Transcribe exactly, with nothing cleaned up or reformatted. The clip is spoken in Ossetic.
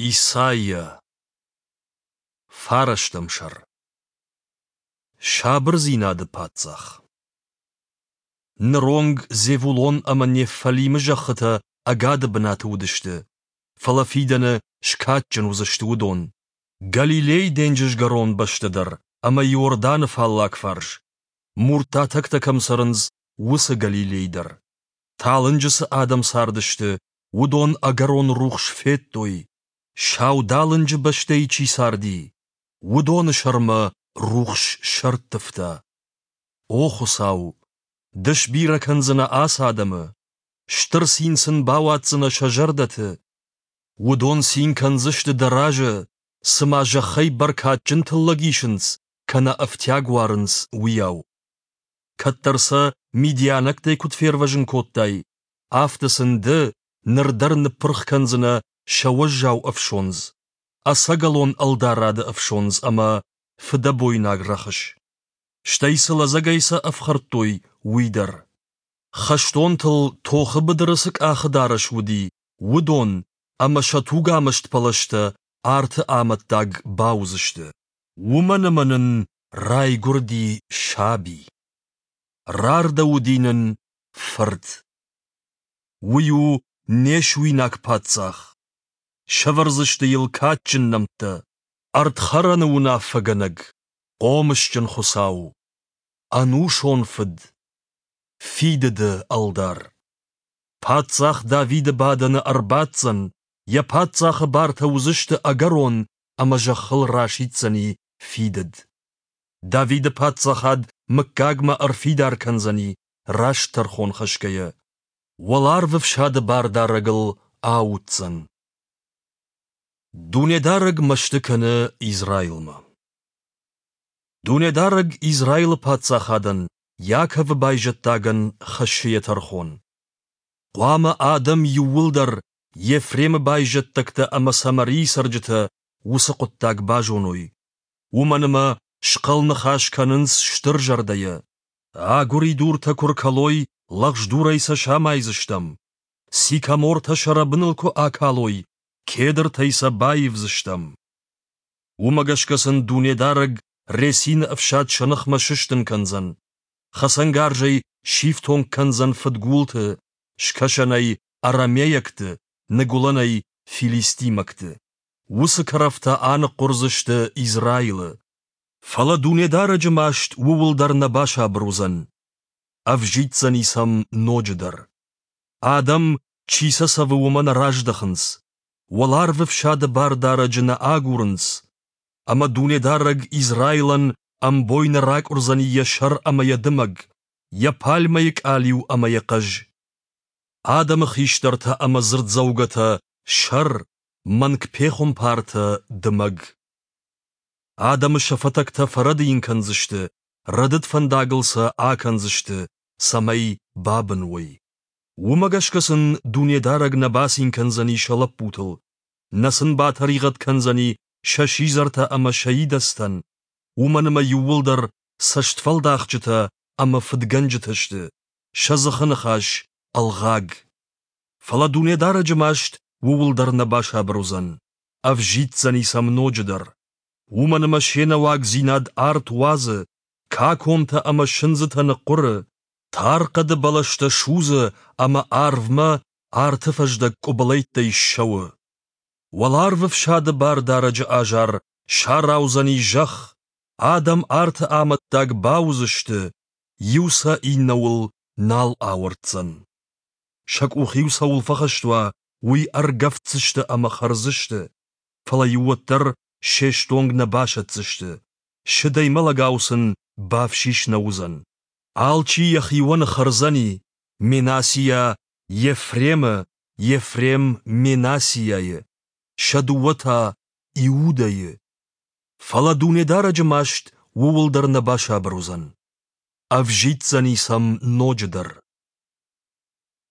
Исайя. Фарӕстӕм сӕр. Сабырдзинады паддзах. Ныронг Зевулон ӕмӕ Неффалимы зӕххытӕ ӕгады бынаты уыдысты, фӕлӕ фидӕны скадджын уыдзысты уыдон. Галилейы денджызгӕрон бӕстӕ дӕр ӕмӕ Иорданы фаллаг фарс, муртатӕгтӕ кӕм цӕрынц, уыцы Галилей дӕр. Талынджы цы адӕм цардысты, уыдон ӕгӕрон рухс федтой. Саудалынджы бӕстӕйы чи царди, уыдоны сӕрмӕ рухс сӕрттывта. О Хуыцау, Ды сбирӕ кӕндзынӕ ацы адӕмы, стыр цин сын бауадздзынӕ сӕ зӕрдӕты. Уыдон цин кӕндзысты Дӕ разы, цыма зӕххӕй бӕркадджын тыллӕг исынц, кӕнӕ ӕфтиаг уарынц, уыйау. Кӕддӕр сӕ мидианӕгтӕй куыд фервӕзын кодтай, афтӕ сын Ды ныр дӕр ныппырх кӕндзынӕ сӕ уӕззау ӕфсондз, ӕцӕгӕлон ӕлдарады ӕфсондз ӕмӕ фыдӕбойнаг рӕхыс. Стӕй цы лӕдзӕгӕй сӕ ӕфхӕрдтой, уый дӕр. Хӕстонтыл тохы быдыры цы къахыдарӕс уыди, уыдон ӕмӕ сӕ тугамӕст пӕлӕзтӕ арты амӕттаг бауыдзысты. Уымӕн ӕмӕ нын райгуырди саби. Рардӕуыди нын фырт. Уый у не суинаг паддзах. Сӕвӕрдзысты йыл кадджын нӕмттӕ: Ӕрдхӕрӕны уынаффӕгӕнӕг, Хъомысджын Хуыцау, Ӕнусон Фыд, Фидыды Ӕлдар. Паддзах Давиды бадӕны ӕрбаддзӕн, йӕ паддзахы бартӕ уыдзысты ӕгӕрон ӕмӕ зӕххыл расиддзӕни фидыд. Давиды паддзахад мыггагмӕ ӕрфидар кӕндзӕни, раст тӕрхон хӕсгӕйӕ. Уӕларвы фсады бардарӕг ыл ауддзӕн. Дунедарӕг мӕсты кӕны Израилмӕ. Дунедарӕг Израилы паддзахадӕн, Иаковы байзӕддагӕн хӕссы йӕ тӕрхон. Хъуамӕ адӕм иууылдӕр, Ефремы байзӕддӕгтӕ ӕмӕ Самарийы цӕрджытӕ, уыцы хъуыддаг базоной. Уымӕн ӕмӕ схъӕл ныхас кӕнынц стыр зӕрдӕйӕ. Агуыридуртӕ куы ркӕлой, лӕгъз дурӕй сӕ самайдзыстӕм. Сикамортӕ сӕ рӕбыныл куы акалой, кедртӕй сӕ баивдзыстӕм. Уымӕ гӕсгӕ сын Дунедарӕг Ресины ӕфсад сӕ ныхмӕ сыстын кӕндзӕн. Хӕцӕнгарзӕй сифтонг кӕндзӕн фыдгулты, скӕсӕнӕй арамейӕгты, ныгуылӕнӕй филистимӕгты. Уыцы кӕрӕфтӕ аныхъхъуырдзысты Израилы. Фӕлӕ Дунедарӕджы маст ууыл дӕр нӕ басабыр уыдзӕн. Ӕвзиддзӕни сӕм ноджыдӕр. Адӕм, чи сӕ цӕвы, уымӕ нӕ раздӕхынц. Уӕларвы фсады Бардарӕджы нӕ агурынц. Ӕмӕ Дунедарӕг Израилӕн ӕмбойны ракъуырдзӕни йӕ сӕр ӕмӕ йӕ дымӕг, йӕ пальмӕйы къалиу ӕмӕ йӕ хъӕз. Адӕмы хистӕртӕ ӕмӕ дзырддзӕугӕтӕ сӕр, мӕнгпехуымпартӕ дымӕг. Адӕмы сӕ фӕтӕгтӕ фӕрӕдийын кӕндзысты, рӕдыд фӕндагыл сӕ акӕндзысты, цӕмӕй бабын уой. Уымӕ гӕсгӕ сын Дунедарӕг нӕ бацин кӕндзӕни сӕ лӕппутыл, нӕ сын батӕригъӕд кӕндзӕни сӕ сидзӕртӕ ӕмӕ сӕ идӕдзтӕн, уымӕн ӕмӕ иууылдӕр цӕстфӕлдахджытӕ ӕмӕ фыдгӕнджытӕ сты, сӕ дзыхы ныхас ӕлгъаг. Фӕлӕ Дунедарӕджы маст ууыл дӕр нӕ басабыр уыдзӕн, ӕвзиддзӕни сӕм ноджыдӕр. Уымӕн ӕмӕ се нӕуагдзинад арт уадзы, каконтӕ ӕмӕ сындзытӕ ныхъхъуыры, тар хъӕды бӕлӕстӕ судзы ӕмӕ арвмӕ арты фӕздӕг къуыбылӕйттӕй ссӕуы. Уӕларвы фсады Бардарӕджы азар сараудзӕни зӕхх, адӕм арты амӕттаг бауыдзысты, иу сӕ иннӕуыл нал ауӕрддзӕн. Сӕ къух-иу цӕуыл фӕхӕст уа, уый ӕргӕвддзысты ӕмӕ хӕрдзысты, фӕлӕ-иу уӕддӕр се стонг нӕ басӕтдзысты, сыдӕй мӕлӕгау сын бафсис нӕ уыдзӕн. Алчи йӕхионы хӕрдзӕни, Менасиа Ефремы, Ефрем Менасиайы, сӕ дыууӕ та Иудӕйы. Фӕлӕ Дунедарӕджы маст ууыл дӕр нӕ басабыр уыдзӕн. Ӕвзиддзӕни сӕм ноджыдӕр.